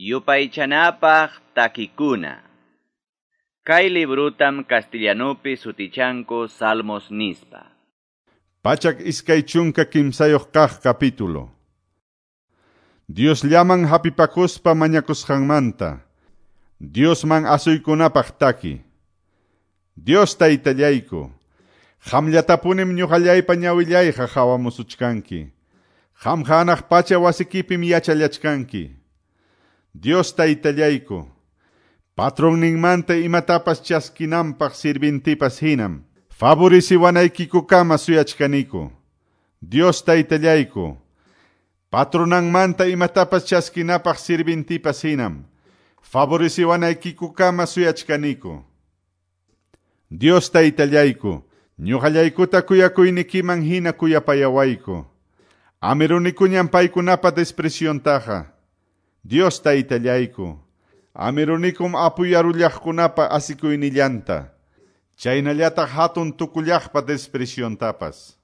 Yupaychanapaq takikuna. Kay librutam castellanupi sutichanku Salmos nispa. 123 kaq capítulo. Diosllaman hapipakuspa mañakusqanmanta. Diosman asuykunapaq taki. Dios taytallayku, qamllatapunim ñuqallaypa ñawillayqa hawamusuchkanki. Qam hanaq pacha wasikipim yachallachkanki. Dios taytallayku, patronninmanta imatapas chaskinanpaq sirvintipas hinam, favoreciwanaykikukama suyachkaniku. Dios taytallayku, patronanmanta imatapas chaskinapaq sirvintipas hinam, favoreciwanaykikukama suyachkaniku. Dios taytallayku, ñuqallaykuta kuyakuynikiman hina kuyapayawayku. Amirunikuñam paykunapa despreciontaqa. Dios taytallayku, amirunikum apuyarullaqkunapa asikuynillanta, chaynallataq hatun tukullaqpa despreciontapas.